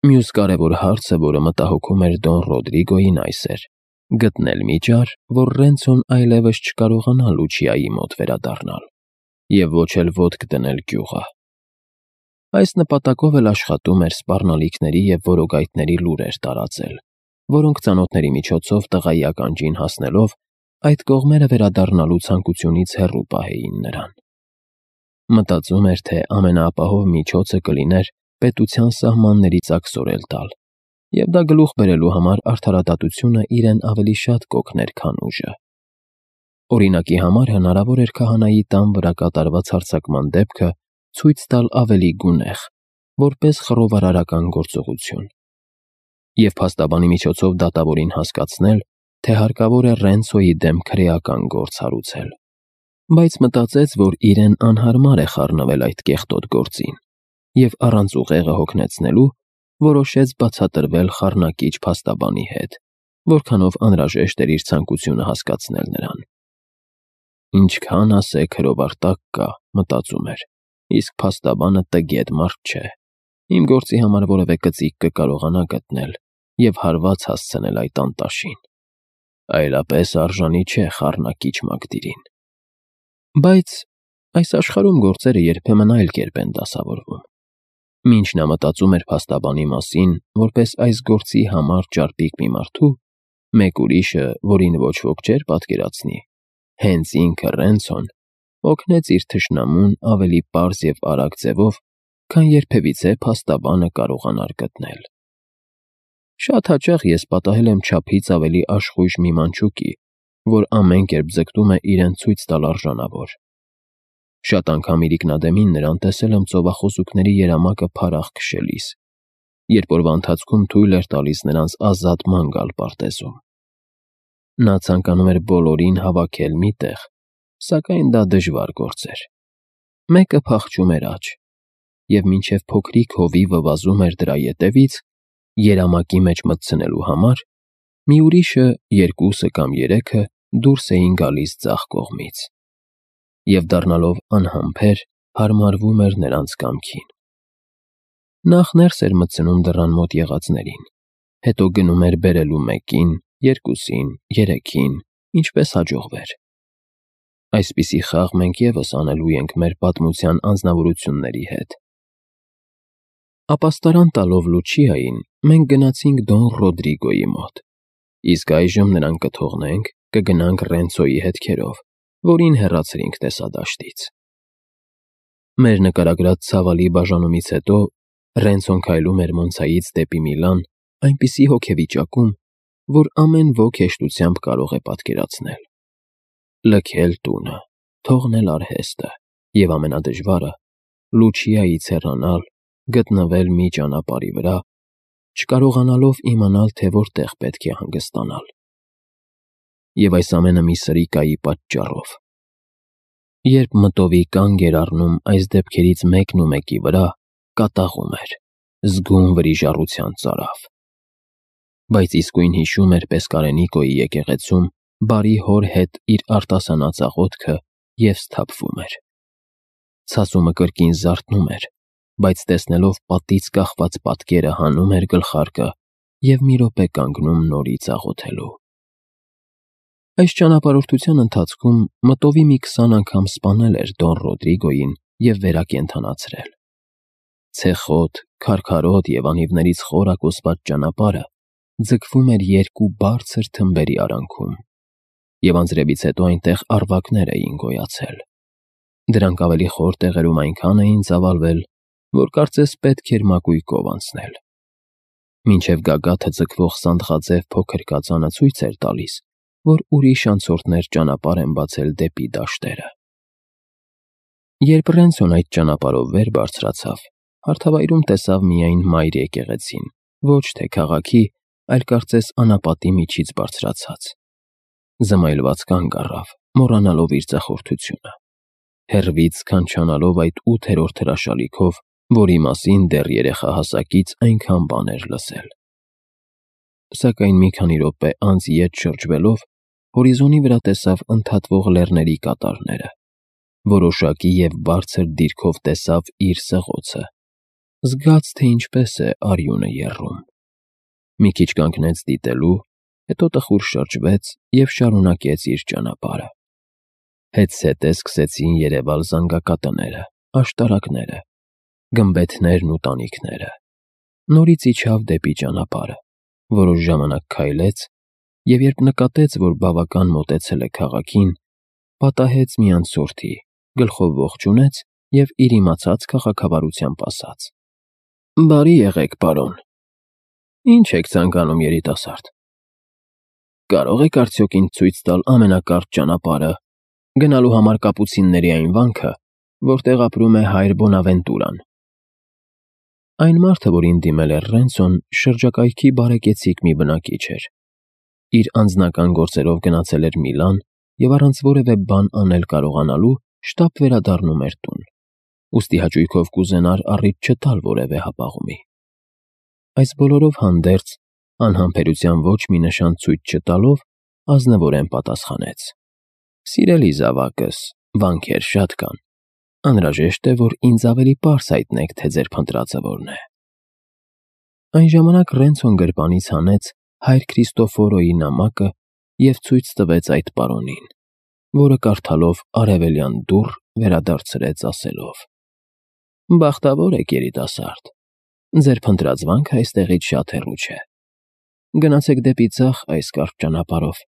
Մյուս կարևոր հարցը, որը մտահոգում էր Դոն Ռոդրիգոյին, այս էր. գտնել մի ճար, որ Ռենցոն այլևս չկարողանա Լուչիայի մոտ վերադառնալ, և ոչ էլ ոտք դնել գյուղը։ Այս նպատակով էլ աշխատում էր սպառնալիքների և որոգայթների լուրեր տարածել, որոնք ծանոթների միջոցով տղայի ականջին հասնելով այդ կողմերը վերադառնալու ցանկությունից հեռու պահեին նրան։ Մտածում էր, թե ամենաապահով միջոցը կլիներ պետության սահմաններից աքսորել տալ, և դա գլուխ բերելու համար արդարադատությունը իրեն ավելի շատ կօգներ, քան ուժը։ Օրինակի համար հնարավոր էր քահանայի տան վրա կատարված հարձակման դեպքը ցույց տալ ավելի գունեղ, որպես խռովարարական գործողություն, և փաստաբանի միջոցով դատավորին հասկացնել, թե հարկավոր է Ռենցոյի դեմ քրեական գործ հարուցել, բայց մտածեց, որ իրեն անհարմար է խառնվել այդ կեղտոտ գործին, և առանց ուղեղը հոգնեցնելու որոշեց բացատրվել խառնակիչ փաստաբանի հետ, որքանով անհրաժեշտ էր իր ցանկությունը հասկացնել նրան։ Ինչքան ասեք հրովար տակ կա, մտածում էր, իսկ փաստաբանը տգետ մարդ չէ, իմ գործի համար որևէ կծիկ կկարողանա գտնել և հարված հասցնել այդ անտաշին, այլապես արժանի չէ խառնակիչ Մակդիրին։ Բայց այս աշխարհում գործերը երբեմն այլ կերպ են դասավորվում։ Մինչ նա մտածում էր փաստաբանի մասին, որպես այս գործի համար ճարպիկ մի մարդու, մեկ ուրիշը, որին ոչ ոք չէր պատկերացնի, հենց ինքը Ռենցոն, օգնեց իր թշնամուն ավելի պարզ և արագ ձևով, քան երբևիցե փաստաբանը կարողանար գտնել։ Շատ հաճախ ես պատահել եմ չափից ավելի աշխույժ մի մանչուկի, որ ամեն կերպ ձգտում է իրեն ցույց տալ արժանավոր։ Շատ անգամ իրիկնադեմին նրան տեսել եմ ծովախոզուկների երամակը փարաղ քշելիս, երբ օրվա ընթացքում թույլ էր տալիս նրանց ազատ ման գալ պարտեզում։ Նա ցանկանում էր բոլորին հավաքել մի տեղ, սակայն դա դժվար գործ էր։ Մեկը փախչում էր աջ, և մինչև փոքրիկ հովիվը վազում էր դրա ետևից, երամակի մեջ մտցնելու համար, մի ուրիշը, երկուսը կամ երեքը դուրս էին գալիս ձախ կողմից, և դառնալով անհամբեր, հարմարվում էր նրանց կամքին։ Նախ ներս էր մտցնում դռան մոտ եղածներին, հետո գնում էր բերելու մեկին, երկուսին, երեքին, ինչպես հաջողվեր։ Այսպիսի խաղ մենք ևս անելու ենք մեր պատմության անձնավորությունների հետ։ Ապաստարան տալով Լուչիային, մենք գնացինք Դոն Ռոդրիգոյի մոտ, իսկ այժմ նրան կթողնենք, կգնանք Ռենցոյի հետքերով, որին հեռացրինք տեսադաշտից։ Մեր նկարագրած ցավալի բաժանումից հետո Ռենցոն քայլում էր Մոնցայից դեպի Միլան այնպիսի հոգեվիճակում, որ ամեն ոք հեշտությամբ կարող է պատկերացնել։ Լքել տունը, թողնել արհեստը և ամենադժվարը՝ Լուչիայից հեռանալ, գտնվել մի ճանապարհի վրա, չկարողանալով իմանալ, թե որտեղ պետք է հանգստանալ։ Եվ այս ամենը մի սրիկայի պատճառով։ Երբ մտովի կանգ էր առնում այս դեպքերից մեկն ու մեկի վրա, կատաղում էր, զգում վրիժառության ծարավ։ Բայց իսկույն հիշում էր Պեսկարենիկոյի եկեղեցում բարի հոր հետ իր արտասանած աղոթքը և սթափվում էր։ Ցասումը կրկին զարթնում էր, բայց տեսնելով պատից կախված պատկերը հանում էր գլխարկը և մի րոպե կանգնում նորից աղոթելու։ Այս ճանապարհորդության ընթացքում մտովի մի 20 անգամ սպանել էր Դոն Ռոդրիգոյին և վերակենդանացրել։ Ցեխոտ, քարքարոտ և անիվներից խորակոսված ճանապարհը ձգվում էր երկու բարձր թմբերի արանքում, և անձրևից հետո այնտեղ առվակներ էին գոյացել։ Դրանք ավելի խոր տեղերում այնքան էին ծավալվել, որ կարծես պետք էր մակույկով անցնել։ Մինչև գագաթը ձգվող սանդղաձև փոքր կածանը ցույց էր տալիս, որ ուրիշ անցորդներ ճանապարհ են բացել դեպի դաշտերը։ Երբ Ռենցոն այդ ճանապարհով վեր բարձրացավ, հարթավայրում տեսավ միայն մայր եկեղեցին, ոչ թե քաղաքի, այլ կարծես անապատի միջից բարձրացած։ Զմայլված կանգ առավ, մոռանալով իր ձախորդությունը, հեռվից սքանչանալով այդ 8-րդ հրաշալիքով, որի մասին դեռ երեխահասակից այնքան բան էր լսել։ Սակայն մի քանի րոպե անց ետ շրջվելով, հորիզոնի վրա տեսավ ընդհատվող լեռների կատարները, որոշակի և բարձր դիրքով տեսավ իր սղոցը, զգաց, թե ինչպես է արյունը եռում։ Մի քիչ կանգնեց դիտելու, հետո տխուր շրջվեց և շարունակեց իր ճանապարհը։ Հետզհետե սկսեցին երևալ զանգակատները, աշտարակները, գմբեթներն ու տանիքները։ Նորից իջավ դեպի ճանապարհը, որոշ ժամանակ քայլեց և երբ նկատեց, որ բավական մոտեցել է քաղաքին, պատահեց մի անցորդի, գլխով ողջունեց և իր իմացած քաղաքավարությամբ ասաց. «Բարի եղեք, պարոն։ Ինչ եք ցանկանում, երիտասարդ։ Կարող եք արդյոք ինձ ցույց տալ ամենակարճ ճանապարհը, գնալու համար կապուցինների այն վանքը, որտեղ ապրում է հայր Բոնավենտուրան»։ Այն մարդը, որին դիմել էր Ռենցոն, շրջակայքի բարեկեցիկ մի բնակիչ էր։ Իր անձնական գործերով գնացել էր Միլան և առանց որևէ բան անել կարողանալու շտապ վերադառնում էր տուն, ուստի հաճույքով կուզենար առիթ չտալ որևէ հապաղումի։ Այս բոլորով հանդերձ, անհամբերության ոչ մի նշան ցույց չտալով, ազնվորեն պատասխանեց. «Սիրելի զավակս, վանքեր շատ կան։ Անհրաժեշտ է, որ ինձ ավելի պարզ հայտնեք, թե ձեր փնտրածը որն է»։ Այն ժամանակ Ռենցոն գրպանից հանեց հայր Քրիստոֆորոյի նամակը և ցույց տվեց այդ պարոնին, որը կարդալով արևելյան դուռ վերադարձրեց ասելով. «Բախտավոր եք, երիտասարդ, ձեր փնտրած վանքը այստեղից շատ հեռու չէ։ Գնացեք դեպի ձախ այս կարճ ճանապարհով։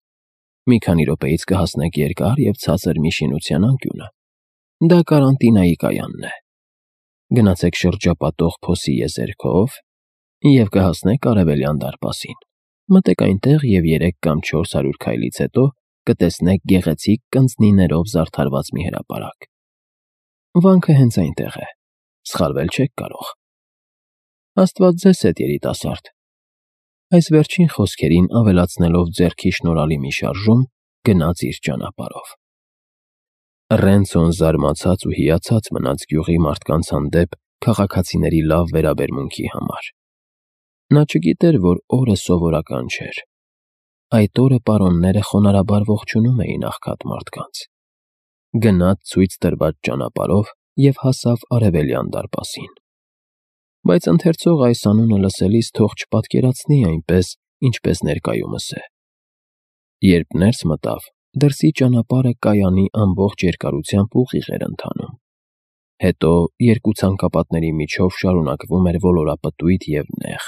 Մի քանի րոպեից կհասնեք երկար և ցածր մի շինության անկյունը։ Դա կարանտինայի կայանն է։ Գնացեք շրջապատող փոսի եզերքով և կհասնեք արևելյան դարպասին։ Մտեք այնտեղ և 3 կամ 400 քայլից հետո կտեսնեք գեղեցիկ կնձնիներով զարդարված մի հրապարակ։ Վանքը հենց այնտեղ է։ Սխալվել չեք կարող։ Աստված ձեզ հետ, երիտասարդ»։ Այս վերջին խոսքերին ավելացնելով ձեռքի շնորհալի մի շարժում, գնաց իր ճանապարհով։ Ռենցոն զարմացած ու հիացած մնաց գյուղի մարդկանց հանդեպ քաղաքացիների լավ վերաբերմունքի համար։ Նա չգիտեր, որ օրը սովորական չէր։ Այդ օրը պարոնները խոնարհաբար ողջունում էին աղքատ մարդկանց։ Գնաց ցույց տրված ճանապարհով և հասավ արևելյան դարպասին։ Բայց ընթերցողը այս անունը լսելիս թող չպատկերացնի այնպես, ինչպես ներկայումս է։ Երբ ներս մտավ, դրսի ճանապարհը կայանի ամբողջ երկարությամբ ուղիղ էր ընթանում։ Հետո երկու ցանկապատների միջով շարունակվում էր ոլորապտույտ և նեղ։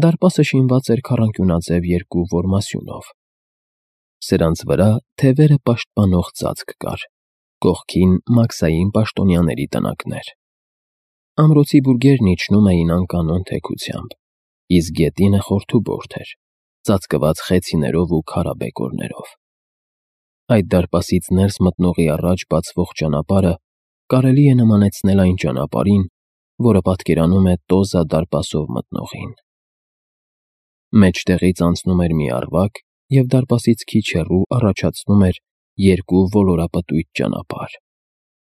Դարպասը շինված էր քառանկյունաձև երկու որմասյունով։ Սրանց վրա թևերը պաշտպանող ծածկ կար, կողքին մաքսային պաշտոնյաների տնակներ։ Ամրոցի բուրգերն իջնում էին անկանոն թեքությամբ, իսկ գետինը խորթուբորդ էր, ծածկված խեցիներով ու քարաբեկորներով։ Այդ դարպասից ներս մտնողի առաջ բացվող ճանապարհը կարելի է նմանեցնել այն ճանապարհին, որը պատկերանում է Տոզա դարպասով մտնողին։ Մեջտեղից անցնում էր մի առվակ և դարպասից քիչ հեռու առաջացնում էր երկու ոլորապտույտ ճանապարհ,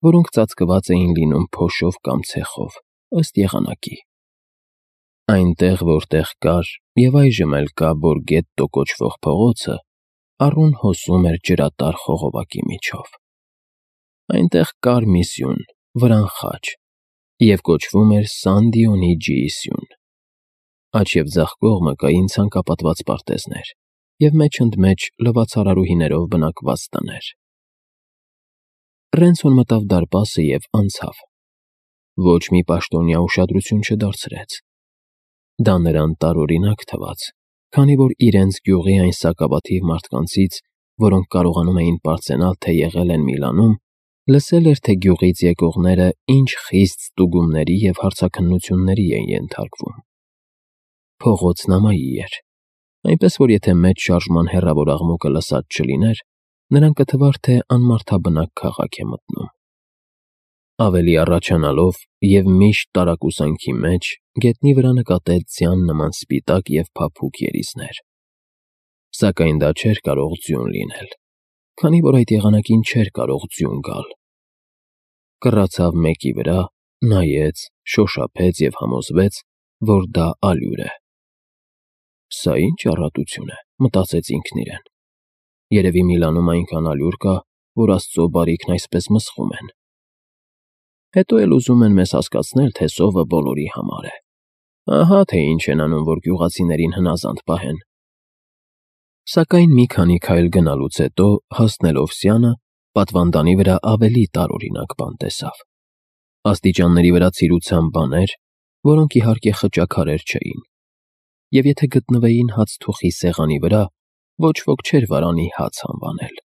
որոնք ծածկված էին լինում փոշով կամ ցեխով, ըստ եղանակի։ Այնտեղ, որտեղ կար և այժմ էլ կա Բորգետտո կոչվող փողոցը, առուն հոսում էր ջրատար խողովակի միջով։ Այնտեղ կար մի սյուն, վրան խաչ, և կոչվում էր Սան Դիոնիջիի սյուն։ Աջ և ձախ կողմը կային ցանկապատված պարտեզներ և մեջ-ընդմեջ լվացարարուհիներով բնակված տներ։ Ռենցոն մտավ դարպասը և անցավ։ Ոչ մի պաշտոնյա ուշադրություն չդարձրեց։ Դա նրան տարօրինակ թվաց, քանի որ իրենց գյուղի այն սակավաթիվ մարդկանցից, որոնք կարողանում էին պարծենալ, թե եղել են Միլանում, լսել էր, թե գյուղից եկողները ինչ խիստ ստուգումների և հարցաքննությունների են ենթարկվում։ Փողոցն ամայի էր, այնպես որ եթե մեծ շարժման հեռավոր աղմուկը լսած չլիներ, նրան կթվար, թե անմարդաբնակ քաղաք է մտնում։ Ավելի առաջանալով և միշտ տարակուսանքի մեջ գետնի վրա նկատեց ձյան նման սպիտակ և փափուկ երիզներ։ Սակայն դա չէր կարող ձյուն լինել, քանի որ այդ եղանակին չէր կարող ձյուն գալ։ Կռացավ մեկի վրա, նայեց, շոշափեց և համոզվեց, որ դա ալյուր է։ «Սա ի՞նչ առատություն է», մտածեց ինքն իրեն։ «Երևի Միլանում այնքան ալյուր կա, որ Աստծո բարիքն այսպես մսխում են»։ Հետո էլ ուզում են մեզ հասկացնել, թե սովը բոլորի համար է։ Ահա թե ինչ են անում, որ գյուղացիներին հնազանդ պահեն։ Սակայն մի քանի քայլ գնալուց հետո, հասնելով Սյանը, պատվանդանի վրա ավելի տարօրինակ բան տեսավ։ Աստիճանների վրա ցիրուցան բաներ, որոնք իհարկե խճաքարեր չէին, և եթե գտնվեին հացթուխի սեղանի վրա, ոչ ոք չէր վարանի հաց անվանել։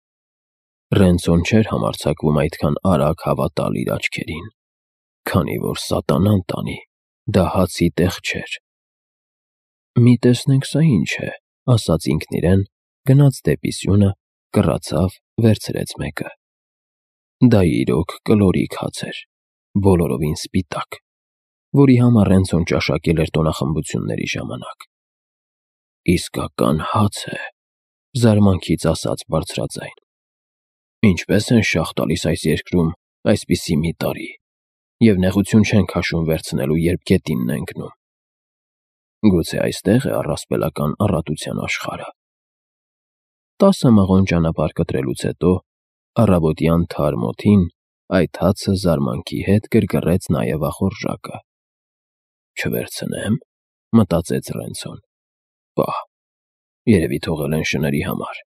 Ռենցոն չէր համարձակվում այդքան արագ հավատալ իր աչքերին, քանի որ սատանան տանի, դա հացի տեղ չէր։ «Մի տեսնենք սա ինչ է», ասաց ինքն իրեն, գնաց դեպի սյունը, կռացավ, վերցրեց մեկը։ Դա իրոք կլորիկ հաց էր, բոլորովին սպիտակ, որի համար Ռենցոն ճաշակել էր տոնախմբությունների ժամանակ։ «Իսկական հաց է», զարմանքից ասաց բարձրաձայն։ «Ինչպես են շաղ տալիս այս երկրում այսպիսի մի տարի, և նեղություն չեն քաշում վերցնելու, երբ գետինն է ընկնում։ Գուցե այստեղ է առասպելական առատության աշխարհը»։ 10 մղոն ճանապարհ կտրելուց հետո, առավոտյան թարմ օդին, այդ հացը զարմանքի հետ գրգռեց նաև ախորժակը։ «Չվերցնեմ», մտածեց Ռենցոն։ «Պահ, երևի թողել են շների համար։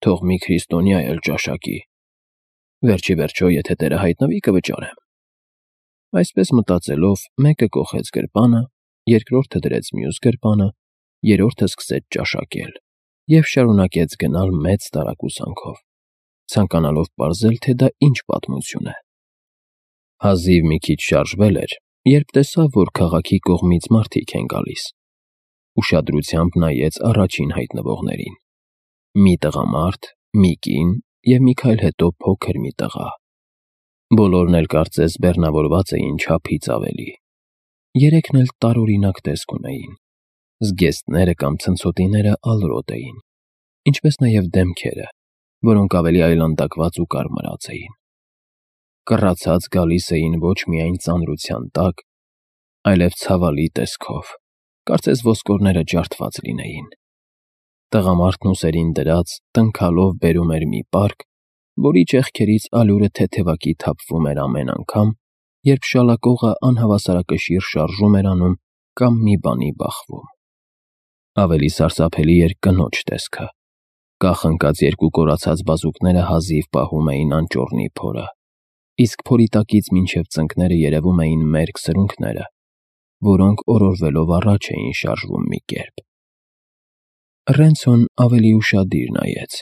Թող մի քրիստոնյա էլ ճաշակի։ Վերջ ի վերջո, եթե Տերը հայտնվի, կվճարեմ»։ Այսպես մտածելով, մեկը կոխեց գրպանը, երկրորդը դրեց մյուս գրպանը, երրորդը սկսեց ճաշակել և շարունակեց գնալ մեծ տարակուսանքով, ցանկանալով պարզել, թե դա ինչ պատմություն է։ Հազիվ մի քիչ շարժվել էր, երբ տեսավ, որ քաղաքի կողմից մարդիկ են գալիս։ Ուշադրությամբ նայեց առաջին հայտնվողներին։ Մի տղամարդ, մի կին և մի քայլ հետո փոքր մի տղա։ Բոլորն էլ կարծես բեռնավորված էին չափից ավելի։ Երեքն էլ տարօրինակ տեսք ունեին։ Զգեստները կամ ցնցոտիները ալրոտ էին, ինչպես նաև դեմքերը, որոնք ավելի այլանդակված ու կարմրած էին։ Կռացած գալիս էին ոչ միայն ծանրության տակ, այլև ցավալի տեսքով, կարծես ոսկորները ջարդված լինեին։ Տղամարդն ուսերին դրած, տնքալով բերում էր մի պարկ, որի ճեղքերից ալյուրը թեթևակի թափվում էր ամեն անգամ, երբ շալակողը անհավասարակշիռ շարժում էր անում կամ մի բանի բախվում։ Ավելի սարսափելի էր կնոջ տեսքը։ Կախ ընկած երկու կորացած բազուկները հազիվ պահում էին անճոռնի փորը, իսկ փորի տակից մինչև ծնկները երևում էին մերկ սրունքները, որոնք օրորվելով առաջ էին շարժվում մի կերպ։ Ռենցոն ավելի ուշադիր նայեց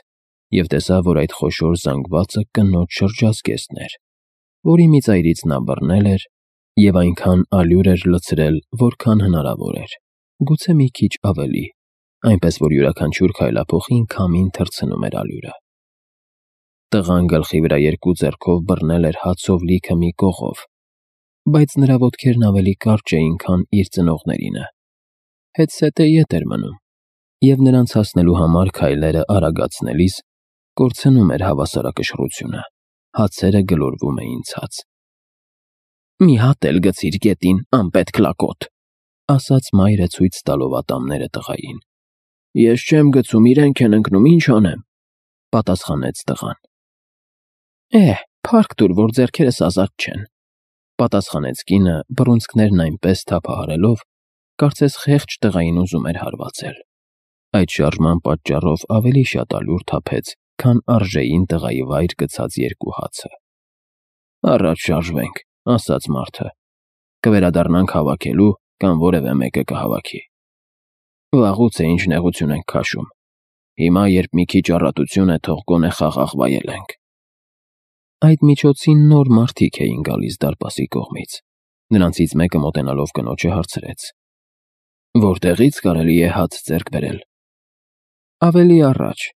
և տեսավ, որ այդ խոշոր զանգվածը կնոջ շրջազգեստն էր, որի մի ծայրից նա բռնել էր և այնքան ալյուր էր լցրել, որքան հնարավոր էր, գուցե մի քիչ ավելի, այնպես որ յուրաքանչյուր քայլափոխին քամին թռցնում էր ալյուրը։ Տղան գլխի վրա երկու ձեռքով բռնել էր հացով լիքը մի կողով, բայց նրա ոտքերն ավելի կարճ էին, քան իր ծնողներինը։ Հետզհետե ետ էր մնում, և նրանց հասնելու համար քայլերը արագացնելիս կորցնում էր հավասարակշռությունը, հացերը գլորվում էին ցած։ «Մի հատ էլ գցիր գետին, անպետք լակոտ», ասաց մայրը ցույց տալով ատամները տղային։ «Ես չեմ գցում, իրենք են ընկնում, ինչ անեմ», պատասխանեց տղան։ Փառք տուր, որ ձեռքերս ազատ չեն, պատասխանեց կինը, բռունցքներն այնպես թափահարելով, կարծես խեղճ տղային ուզում էր հարվածել։ Այդ շարժման պատճառով ավելի շատ ալյուր թափեց, քան արժեին տղայի վայր գցած երկու հացը։ «Առաջ շարժվենք», ասաց մարդը։ «Կվերադառնանք հավաքելու, կամ որևէ մեկը կհավաքի։ Վաղուց է ինչ նեղություն ենք քաշում։ Հիմա, երբ մի քիչ առատություն է, թող գոնե խաղաղ վայելենք»։ Այդ միջոցին նոր մարդիկ էին գալիս դարպասի կողմից։ Նրանցից մեկը մոտենալով կնոջը հարցրեց. «Որտեղից կարելի է հաց ձեռք բերել»։ «Ավելի առաջ»,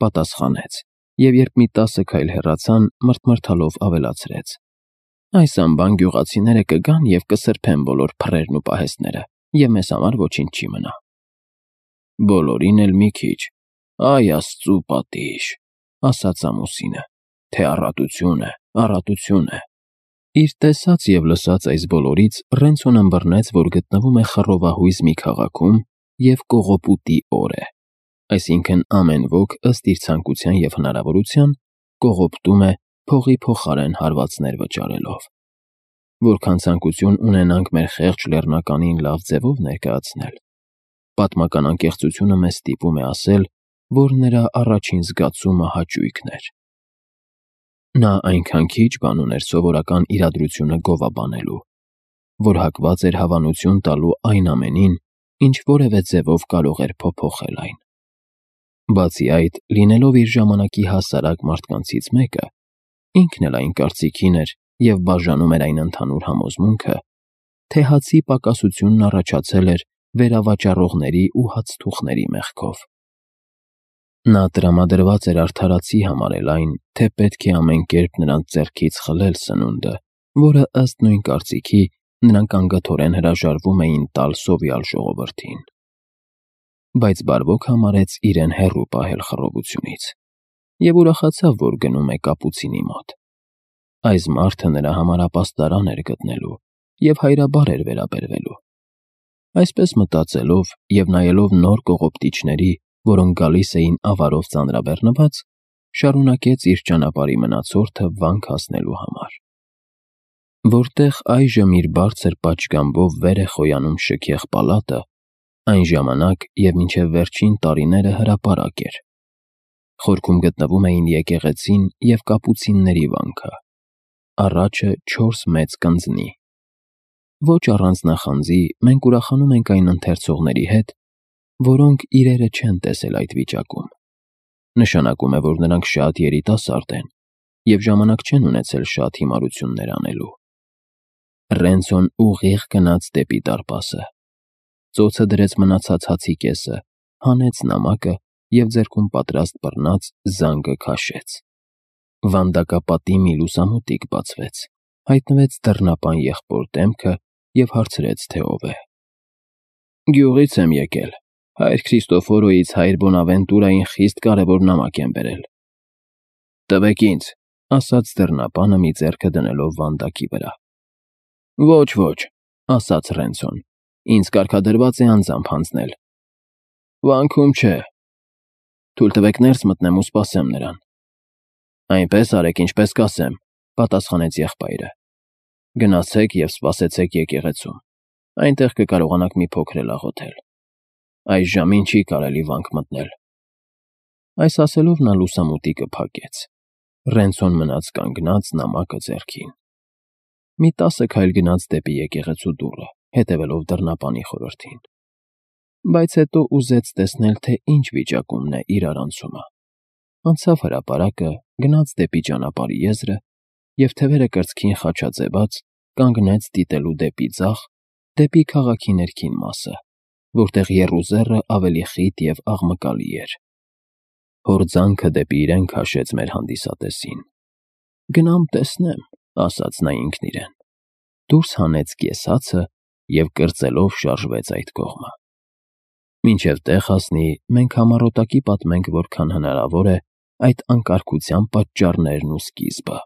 պատասխանեց, և երբ մի 10 քայլ հեռացան, մռթմռթալով ավելացրեց. «Այս անբան գյուղացիները կգան և կսրբեն բոլոր փռերն ու պահեստները, և մեզ համար ոչինչ չի մնա»։ «Բոլորին էլ մի քիչ, այ Աստծու պատիժ», ասաց ամուսինը, «թե առատություն է, առատություն է»։ Իր տեսած և լսած այս բոլորից Ռենցոն ըմբռնեց, որ գտնվում է խռովահույզ մի քաղաքում և կողոպուտի օր է, այսինքն ամեն ոք ըստ իր ցանկության և հնարավորության կողոպտում է փողի փոխարեն հարվածներ վճարելով։ որքան ցանկություն ունենանք մեր խեղճ լեռնականին լավ ձևով ներկայացնել, պատմական անկեղծությունը մեզ ստիպում է ասել, որ նրա առաջին զգացումը հաճույքն էր։ Նա այնքան քիչ բան ուներ սովորական իրադրությունը գովաբանելու, որ հակված էր հավանություն տալու այն ամենին, ինչ որևէ ձևով կարող էր փոփոխել այն։ Բացի այդ, լինելով իր ժամանակի հասարակ մարդկանցից մեկը, ինքն էլ այն կարծիքին էր և բաժանում էր այն ընդհանուր համոզմունքը, թե հացի պակասությունն առաջացել էր վերավաճառողների ու հացթուխների մեղքով։ Նա տրամադրված էր արդարացի համարել այն, թե պետք է ամեն կերպ նրանց ձեռքից խլել սնունդը, որը ըստ նույն կարծիքի նրանք անգթորեն հրաժարվում էին տալ սովյալ ժողովրդին։ Բայց բարվոք համարեց իրեն հեռու պահել խռովությունից և ուրախացավ, որ գնում է կապուցինի մոտ։ Այս մարդը նրա համար ապաստարան էր գտնելու և հայրաբար էր վերաբերվելու։ Այսպես մտածելով և նայելով նոր կողոպտիչների, որոնք գալիս էին ավարով ծանրաբեռնված, շարունակեց իր ճանապարհի մնացորդը վանք հասնելու համար։ Որտեղ այժմ իր բարձր պատշգամբով վեր է խոյանում շքեղ պալատը, այն ժամանակ և մինչև վերջին տարիները հրապարակ էր։ Խորքում գտնվում էին եկեղեցին և կապուցինների վանքը, առաջը 4 մեծ կնձնի։ Ոչ առանց նախանձի մենք ուրախանում ենք այն ընթերցողների հետ, որոնք իրերը չեն տեսել այդ վիճակում։ Նշանակում է, որ նրանք շատ երիտասարդ են և ժամանակ չեն ունեցել շատ հիմարություններ անելու։ Ռենցոն ուղիղ գնաց դեպի դարպասը։ Ծոցը դրեց մնացած հացի կեսը, հանեց նամակը և ձեռքում պատրաստ բռնած զանգը քաշեց։ Վանդակապատի մի լուսամուտիկ բացվեց, հայտնվեց դռնապան եղբոր դեմքը և հարցրեց, թե ով է։ «Գյուղից եմ եկել, հայր Քրիստոֆորոյից հայր Բոնավենտուրային խիստ կարևոր նամակ եմ բերել»։ «Տվեք ինձ», ասաց դռնապանը մի ձեռքը դնելով վանդակի վրա։ «Ոչ», ասաց Ռենցոն, «ինձ կարգադրված է անձամբ հանձնել»։ «Վանքում չէ»։ «Թույլ տվեք ներս մտնեմ ու սպասեմ նրան»։ «Այնպես արեք, ինչպես կասեմ», պատասխանեց եղբայրը։ «Գնացեք և սպասեցեք եկեղեցում, այնտեղ կկարողանաք մի փոքր էլ աղոթել։ Այս ժամին չի կարելի վանք մտնել»։ Այս ասելով նա լուսամուտիկը փակեց։ Ռենցոն մնաց կանգնած նամակը ձեռքին։ Մի 10 քայլ գնաց դեպի եկեղեցու դուռը, հետևելով դռնապանի խորհրդին։ Բայց հետո ուզեց տեսնել, թե ինչ վիճակումն է իր արանցումը։ Անցավ հրապարակը, գնաց դեպի ճանապարհի եզրը և թևերը կրծքին խաչաձևած կանգնեց դիտելու դեպի ձախ, դեպի քաղաքի ներքին մասը, որտեղ եռուզեռը ավելի խիտ և աղմկալի էր։ Հորձանքը դեպի իրեն քաշեց մեր հանդիսատեսին։ «Գնամ տեսնեմ», ասաց նա ինքն իրեն։ Դուրս հանեց կես հացը և կրծելով շարժվեց այդ կողմը։ Մինչև տեղ հասնի, մենք համառոտակի պատմենք, որքան հնարավոր է, այդ անկարգության պատճառներն ու սկիզբը։